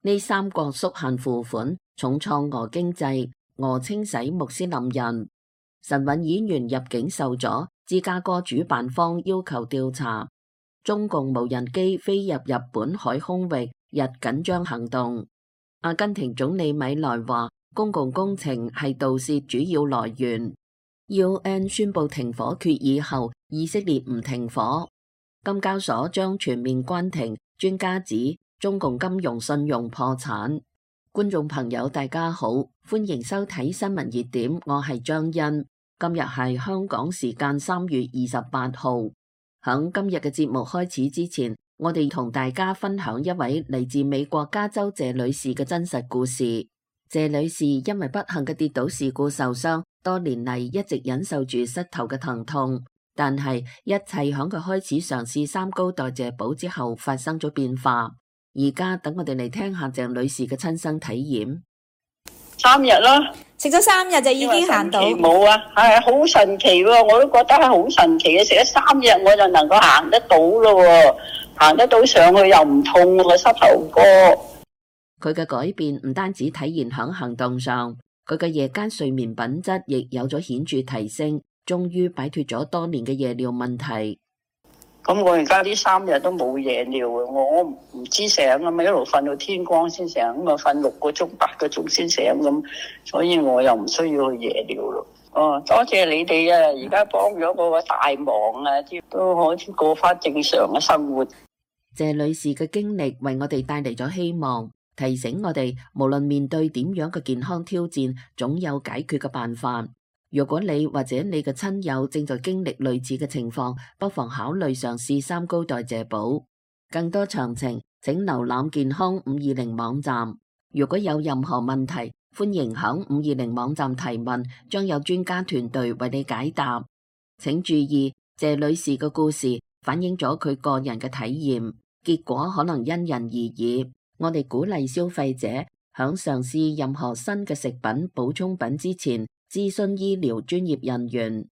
呢三國縮限付款，重創俄經濟，俄清洗穆斯林人。神韻演員入境受阻，芝加哥主辦方要求調查。中共無人機飛入日本海空域，日緊張行動。阿根廷總理米萊話，公共工程係盜竊主要來源。UN 宣布停火決議後，以色列唔停火。金交所將全面關停，專家指中共金融信用破產。觀眾朋友大家好，歡迎收睇新聞熱點，我係張欣。今日係香港時間3月28號。響今日嘅節目開始之前，我哋同大家分享一位嚟自美國加州謝女士嘅真實故事。謝女士因為不幸嘅跌倒事故受傷，多年嚟一直忍受住膝頭嘅疼痛，但係一切響佢開始嘗試三高代謝寶之後發生咗變化。而家等我哋嚟聽下鄭女士嘅親身體驗。3日啦，食咗3日就已經行到。冇啊，係好神奇喎！我都覺得係好神奇嘅，食咗3日我就能夠行得到咯，行得到上去又唔痛個膝頭哥。佢嘅改變唔單止體現響行動上，佢嘅夜間睡眠品質亦有咗顯著提升，終於擺脫咗多年嘅夜尿問題。咁我而家呢3日都冇夜尿啊！我唔知醒啊嘛，一路瞓到天光先醒，咁啊瞓6個鐘、8個鐘先醒咁，所以我又唔需要去夜尿咯。哦，多謝你哋啊！而家幫咗我個大忙啊，都可以過翻正常嘅生活。謝女士嘅經歷為我哋帶嚟咗希望，提醒我哋無論面對點樣嘅健康挑戰，總有解決嘅辦法。如果你或者你嘅親友正在經歷類似嘅情況，不妨考慮嘗試三高代謝寶。更多詳情請瀏覽健康520網站。如果有任何問題，歡迎響520網站提問，將有專家團隊為你解答。請注意，謝女士嘅故事反映咗佢個人嘅體驗，結果可能因人而異。我哋鼓勵消費者響嘗試任何新嘅食品補充品之前，諮詢醫療專業人員。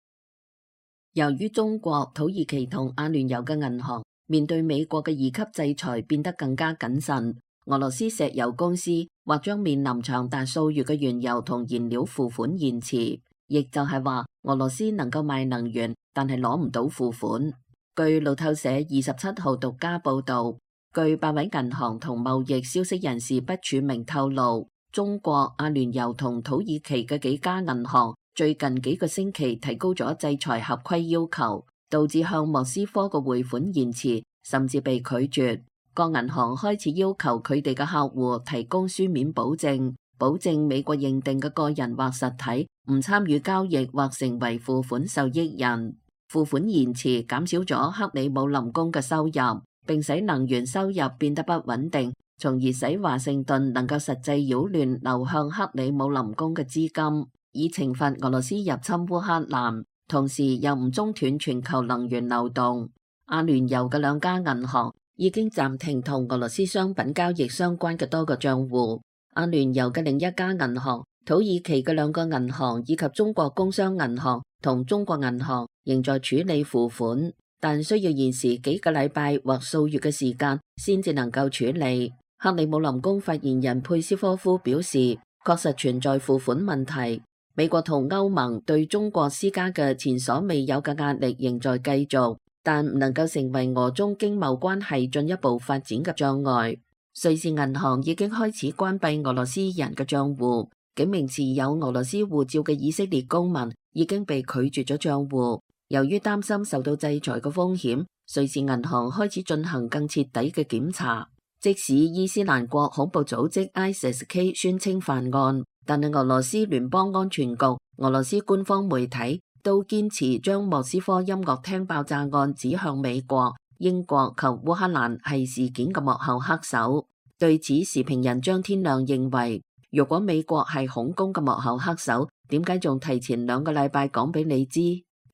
由於中國、土耳其同阿聯酋嘅銀行面對美國嘅2級制裁變得更加謹慎，俄羅斯石油公司或將面臨長達數月嘅原油同燃料付款延遲，亦就係話俄羅斯能夠賣能源，但係攞唔到付款。據路透社27號獨家報道，據8位銀行同貿易消息人士不署名透露，中國、阿聯酋同土耳其嘅幾家銀行最近幾個星期提高咗制裁合規要求，導致向莫斯科嘅匯款延遲，甚至被拒絕。各銀行開始要求佢哋嘅客戶提供書面保證，保證美國認定嘅個人或實體唔參與交易或成為付款受益人。付款延遲減少咗克里姆林宮嘅收入，並使能源收入變得不穩定，從而使華盛頓能夠實際擾亂流向克里姆林宮嘅資金，以懲罰俄羅斯入侵烏克蘭，同時又唔中斷全球能源流動。阿聯酋嘅2家銀行已經暫停同俄羅斯商品交易相關嘅多個賬戶。阿聯酋嘅另一家銀行、土耳其嘅2個銀行以及中國工商銀行同中國銀行仍在處理付款，但需要現時幾個禮拜或數月嘅時間先至能夠處理。克里姆林宮發言人佩斯科夫表示，確實存在付款問題。美國同歐盟對中國施加嘅前所未有嘅壓力仍在繼續，但唔能夠成為俄中經貿關係進一步發展嘅障礙。瑞士銀行已經開始關閉俄羅斯人嘅賬戶，幾名持有俄羅斯護照嘅以色列公民已經被拒絕咗賬戶。由於擔心受到制裁嘅風險，瑞士銀行開始進行更徹底嘅檢查。即使伊斯蘭國恐怖組織 ISIS-K 宣稱犯案，但係俄羅斯聯邦安全局、俄羅斯官方媒體都堅持將莫斯科音樂廳爆炸案指向美國、英國及烏克蘭係事件嘅幕後黑手。對此，時評人張天亮認為，如果美國係恐攻嘅幕後黑手，點解仲提前2個禮拜講俾你知？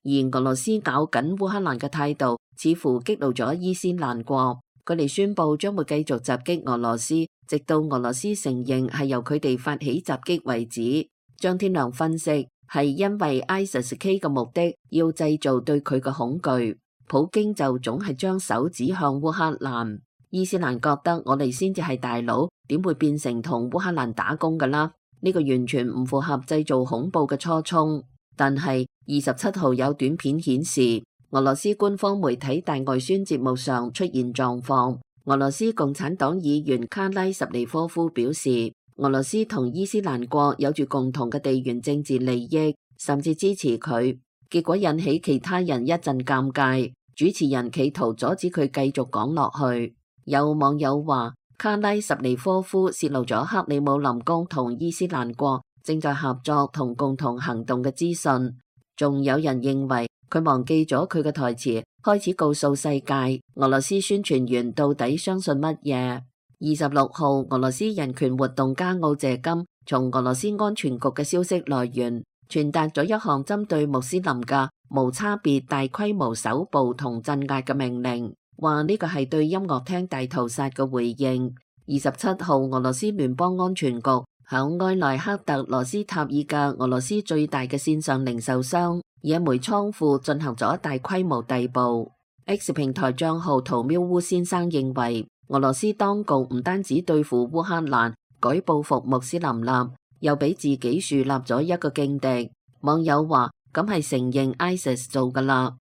而俄羅斯咬緊烏克蘭嘅態度，似乎激怒咗伊斯蘭國。佢哋宣布將會繼續襲擊俄羅斯，直到俄羅斯承認係由佢哋發起襲擊為止。張天良分析，係因為 ISIS-K 嘅目的要製造對佢嘅恐懼，普京就總係將手指向烏克蘭。伊斯蘭覺得我哋先至係大佬，點會變成同烏克蘭打工㗎啦？呢個完全唔符合製造恐怖嘅初衷。但係27號有短片顯示，俄羅斯官方媒體大外宣節目上出現狀況。俄羅斯共產黨議員卡拉什尼科夫表示，俄羅斯同伊斯蘭國有住共同嘅地緣政治利益，甚至支持佢。結果引起其他人一陣尷尬，主持人企圖阻止佢繼續講落去。有網友話，卡拉什尼科夫泄露咗克里姆林宮同伊斯蘭國正在合作同共同行動嘅資訊。仲有人認為佢忘記咗佢嘅台詞，開始告訴世界俄羅斯宣傳員到底相信乜嘢。26號，俄羅斯人權活動家奧謝金從俄羅斯安全局嘅消息來源傳達咗一項針對穆斯林嘅無差別大規模搜捕同鎮壓嘅命令，話呢個係對音樂廳大屠殺嘅回應。27號，俄羅斯聯邦安全局響埃萊克特羅斯塔爾嘅俄羅斯最大嘅線上零售商野煤倉庫進行咗大規模逮捕。X 平台賬號屠喵烏先生認為，俄羅斯當局唔單止對付烏克蘭舉報復穆斯林立，又俾自己樹立咗一個勁敵。網友話，咁係承認 ISIS 做㗎喇。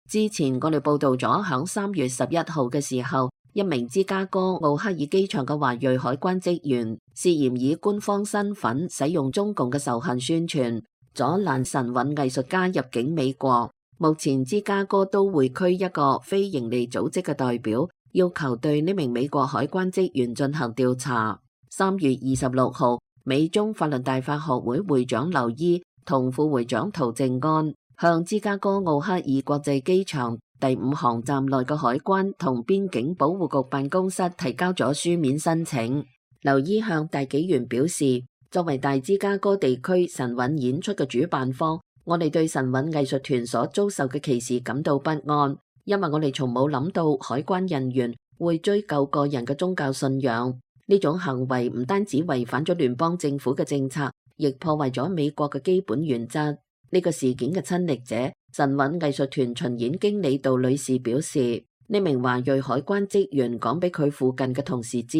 之前我哋報道咗響3月11號嘅時候，一名芝加哥奧克爾機場嘅華裔海關職員涉嫌以官方身份使用中共嘅仇恨宣傳，阻攔神韻藝術家入境美國。目前芝加哥都會區一個非營利組織嘅代表要求對呢名美國海關職員進行調查。3月26號，美中法律大法學會會長劉伊同副會長陶正安向芝加哥奧克爾國際機場第5航站內嘅海關同邊境保護局辦公室提交咗書面申請。劉伊向大紀元表示，作為大芝加哥地區神韻演出嘅主辦方，我哋對神韻藝術團所遭受嘅歧視感到不安，因為我哋從冇諗到海關人員會追究個人嘅宗教信仰。呢種行為唔單止違反咗聯邦政府嘅政策，亦破壞咗美國嘅基本原則。呢個事件嘅親歷者神韻藝術團巡演經理杜女士表示，呢名華裔海關職員講俾佢附近嘅同事知，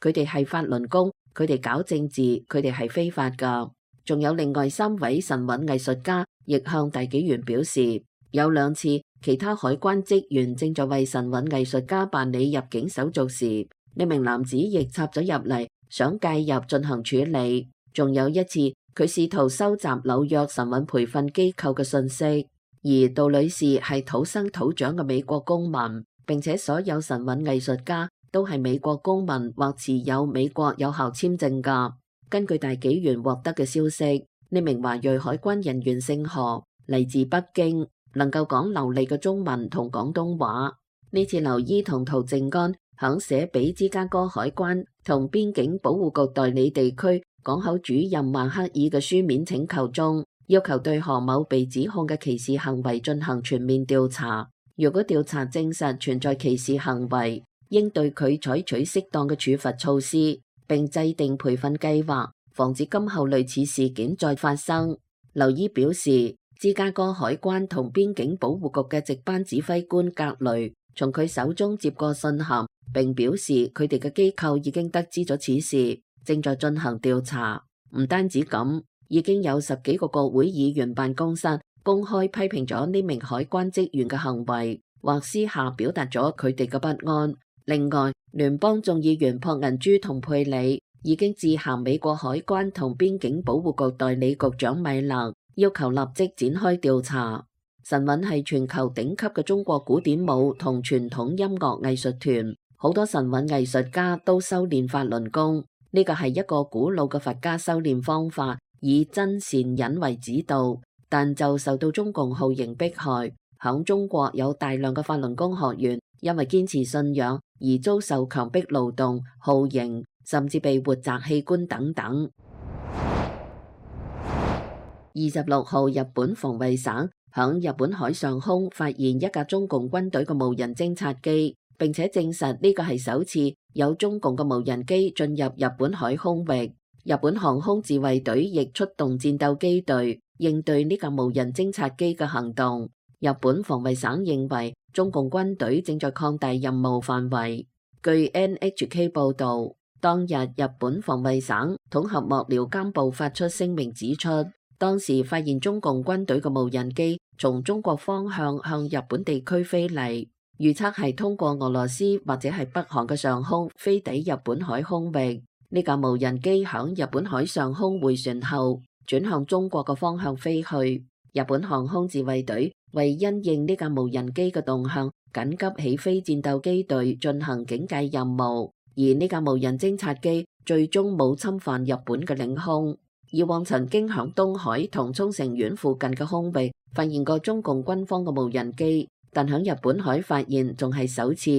佢哋係法輪功，佢哋搞政治，佢哋係非法㗎。仲有另外3位神韻藝術家亦向大紀元表示，有2次其他海關職員正在為神韻藝術家辦理入境手續時，呢名男子亦插咗入嚟，想介入進行處理。仲有1次，佢試圖收集紐約神韻培訓機構嘅信息。而杜女士係土生土長嘅美國公民，並且所有神韻藝術家都係美國公民或持有美國有效簽證㗎。根據大紀元獲得嘅消息，呢名華裔海關人員姓何，嚟自北京，能夠講流利嘅中文同廣東話。呢次劉伊同陶正安響寫俾芝加哥海關同邊境保護局代理地區港口主任曼克爾嘅書面請求中，要求對何某被指控嘅歧視行為進行全面調查。如果調查證實存在歧視行為，應對佢採取適當嘅處罰措施，並制定培訓計劃，防止今後類似事件再發生。劉伊表示，芝加哥海關同邊境保護局嘅值班指揮官格雷從佢手中接過信函，並表示佢哋嘅機構已經得知咗此事，正在進行調查。唔單止咁，已經有10幾個國會議員辦公室公開批評咗呢名海關職員嘅行為，或私下表達咗佢哋嘅不安。另外，聯邦眾議員朴銀珠同佩里已經致函美國海關同邊境保護局代理局長米勒，要求立即展開調查。神韻係全球頂級嘅中國古典舞同傳統音樂藝術團，好多神韻藝術家都修煉法輪功。呢個係一個古老嘅佛家修煉方法，以真善忍為指導，但就受到中共酷刑迫害。響中國有大量嘅法輪功學員因為堅持信仰而遭受強迫勞動、酷刑，甚至被活摘器官等等。26號，日本防衛省響日本海上空發現一架中共軍隊嘅無人偵察機，並且證實呢個係首次有中共嘅無人機進入日本海空域。日本航空自衛隊亦出動戰鬥機隊應對呢架無人偵察機嘅行動。日本防衛省認為中共軍隊正在擴大任務範圍。據 NHK 報導，當日日本防衛省統合幕僚監部發出聲明指出，當時發現中共軍隊嘅無人機從中國方向向日本地區飛嚟，預測係通過俄羅斯或者係北韓嘅上空飛抵日本海空域。呢架無人機響日本海上空回旋後，轉向中國嘅方向飛去。日本航空自衛隊為因應呢架無人機嘅動向，緊急起飛戰鬥機隊進行警戒任務。而呢架無人偵察機最終冇侵犯日本嘅領空。以往曾經響東海同沖繩縣附近嘅空域發現過中共軍方嘅無人機，但響日本海發現仲係首次。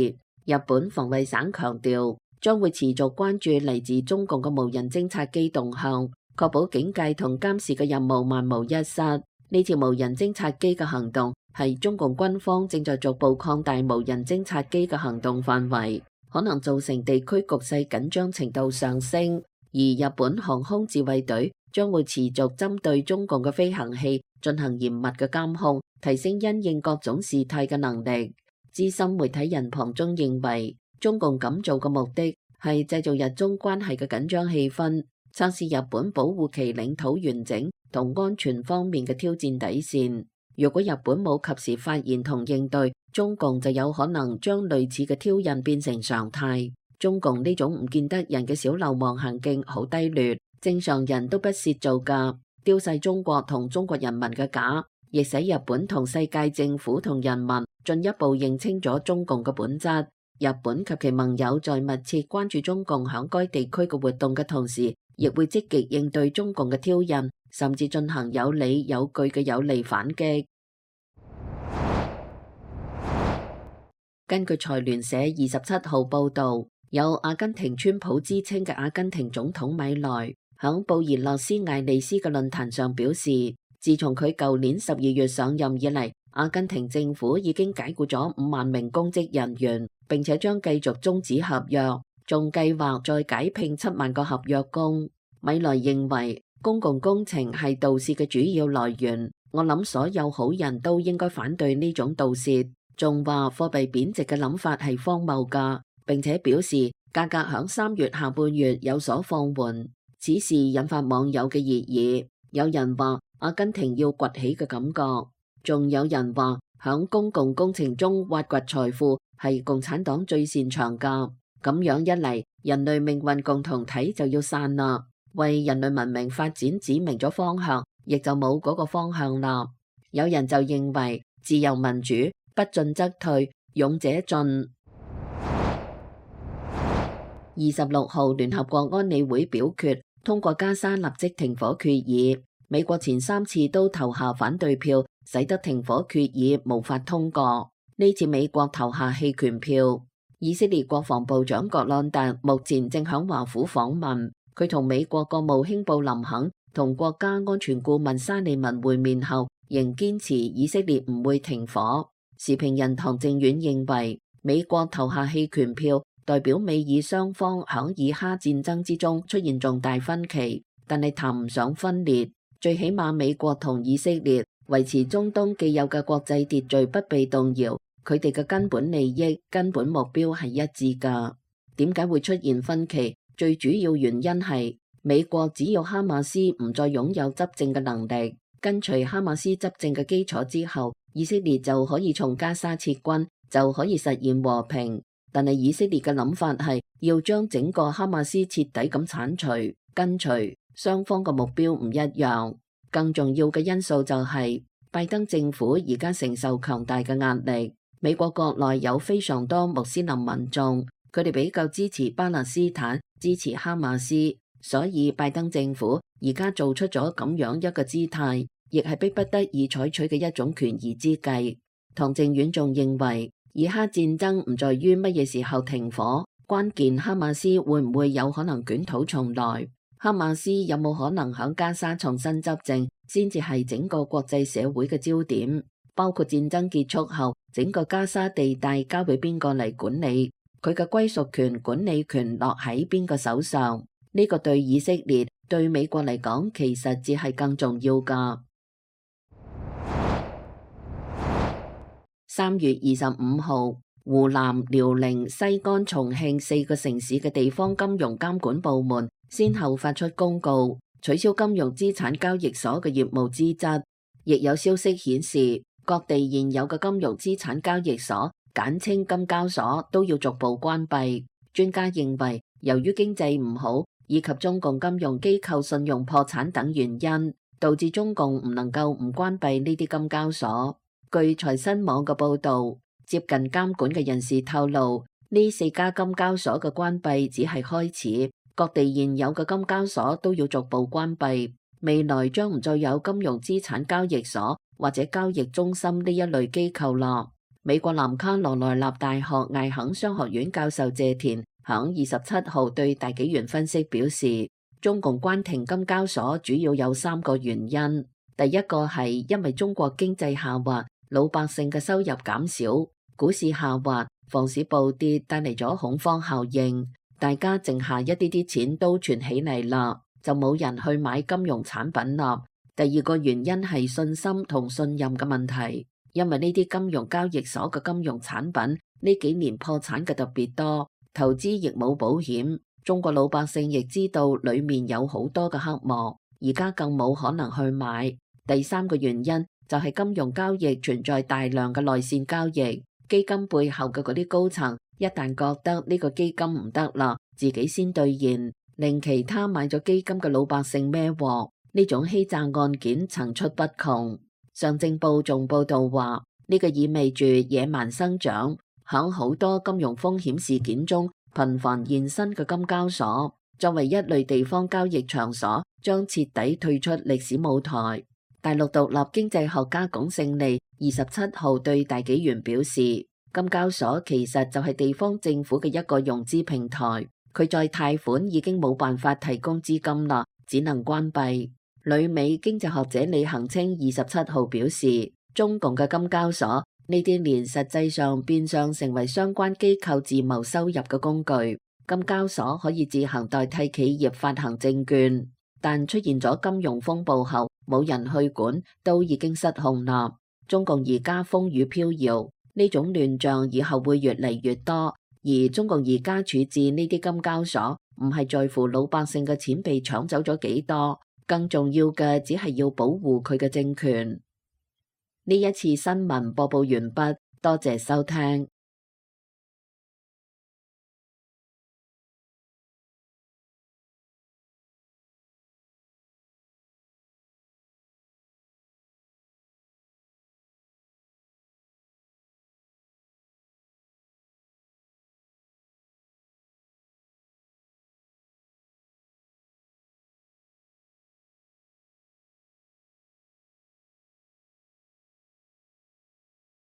日本防衛省強調，將會持續關注嚟自中共嘅無人偵察機動向，確保警戒同監視嘅任務萬無一失。呢次無人偵察機嘅行動係中共軍方正在逐步擴大無人偵察機嘅行動範圍，可能造成地區局勢緊張程度上升。而日本航空自衛隊將會持續針對中共嘅飛行器進行嚴密嘅監控，提升因應各種事態嘅能力。資深媒體人龐中認為，中共咁做嘅目的係製造日中關係嘅緊張氣氛，測試日本保護其領土完整同安全方面嘅挑戰底線。如果日本冇及時發現同應對，中共就有可能將類似嘅挑釁變成常態。中共呢種唔見得人嘅小流氓行徑好低劣，正常人都不屑做㗎，丟晒中國同中國人民嘅架，亦使日本同世界政府同人民進一步認清咗中共嘅本質。日本及其盟友在密切關注中共響該地區嘅活動嘅同時，亦會積極應對中共嘅挑釁，甚至進行有理有據嘅有力反擊。根據財聯社27號報導，有阿根廷川普之稱嘅阿根廷總統米萊響布宜諾斯艾利斯嘅論壇上表示，自從佢舊年12月上任以嚟，阿根廷政府已經解僱咗5萬名公職人員，並且將繼續終止合約，仲計劃再解聘7萬個合約工。米萊認為公共工程係盜竊嘅主要來源，我諗所有好人都應該反對呢種盜竊。仲話貨幣貶值嘅諗法係荒謬㗎，並且表示價格響3月下半月有所放緩。此事引發網友嘅熱議，有人話阿根廷要崛起嘅感覺，仲有人話響公共工程中挖掘財富係共產黨最擅長㗎。咁樣一嚟，人類命運共同體就要散啦，為人類文明發展指明咗方向，亦就冇嗰個方向啦。有人就認為自由民主不進則退，勇者進。26號聯合國安理會表決通過加沙立即停火決議，美國前3次都投下反對票，使得停火決議無法通過。呢次美國投下棄權票。以色列國防部長葛朗特目前正響華府訪問，佢同美國國務卿布林肯同國家安全顧問沙利文會面後，仍堅持以色列唔會停火。時評人唐正遠認為，美國投下棄權票，代表美以雙方響以哈戰爭之中出現重大分歧，但係談唔上分裂。最起碼美國同以色列維持中東既有嘅國際秩序不被動搖，佢哋嘅根本利益、根本目標係一致㗎。點解會出現分歧？最主要原因係美國只要哈馬斯唔再擁有執政嘅能力，跟隨哈馬斯執政嘅基礎之後，以色列就可以從加沙撤軍，就可以實現和平。但係以色列嘅諗法係要將整個哈馬斯徹底咁剷除，跟隨雙方嘅目標唔一樣。更重要嘅因素就係拜登政府而家承受強大嘅壓力。美國國內有非常多穆斯林民眾，佢哋比較支持巴勒斯坦，支持哈馬斯，所以拜登政府而家做出咗咁樣一個姿態，亦係迫不得已採取嘅一種權宜之計。唐正遠仲認為，以哈戰爭唔在於乜嘢時候停火，關鍵哈馬斯會唔會有可能捲土重來，哈馬斯有冇可能響加沙重新執政，先至係整個國際社會嘅焦點。包括戰爭結束後，整個加沙地帶交俾邊個嚟管理，佢嘅歸屬權、管理權落喺邊個手上？呢個對以色列、對美國嚟講，其實只係更重要㗎。3月25號，湖南、遼寧、西安、重慶4個城市嘅地方金融監管部門先後發出公告，取消金融資產交易所嘅業務資質。亦有消息顯示，各地現有嘅金融資產交易所，簡稱金交所，都要逐步關閉。專家認為，由於經濟唔好以及中共金融機構信用破產等原因，導致中共唔能夠唔關閉呢啲金交所。據財新網嘅報導，接近監管嘅人士透露，呢4家金交所嘅關閉只係開始，各地現有嘅金交所都要逐步關閉。未來將唔再有金融資產交易所或者交易中心呢一類機構啦。美國南卡羅來納大學艾肯商學院教授謝田響27號對大紀元分析表示，中共關停金交所主要有3個原因。第一個係因為中國經濟下滑，老百姓嘅收入減少，股市下滑，房市暴跌，帶嚟咗恐慌效應，大家剩下一啲啲錢都存起嚟啦，就冇人去買金融產品啦。第二個原因係信心同信任嘅問題，因為呢啲金融交易所嘅金融產品呢幾年破產嘅特別多，投資亦冇保險，中國老百姓亦知道裏面有好多嘅黑幕，而家更冇可能去買。第三個原因就係金融交易存在大量嘅內線交易，基金背後嘅嗰啲高層一旦覺得呢個基金唔得啦，自己先兌現，令其他買咗基金嘅老百姓孭鑊。呢種欺詐案件層出不窮。上證報仲報道話，呢個意味住野蠻生長，響好多金融風險事件中頻繁現身嘅金交所，作為一類地方交易場所，將徹底退出歷史舞台。大陸獨立經濟學家龔勝利27號對大紀元表示，金交所其實就係地方政府嘅一個融資平台，佢再貸款已經冇辦法提供資金啦，只能關閉。旅美經濟學者李恒清27號表示，中共嘅金交所呢啲年實際上變相成為相關機構自謀收入嘅工具。金交所可以自行代替企業發行證券，但出現咗金融風暴後，冇人去管，都已經失控啦。中共而家風雨飄搖，呢種亂象以後會越嚟越多。而中共而家處置呢啲金交所，唔係在乎老百姓嘅錢被搶走咗幾多，更重要嘅只係要保護佢嘅政權。呢一次新聞播報完畢，多謝收聽。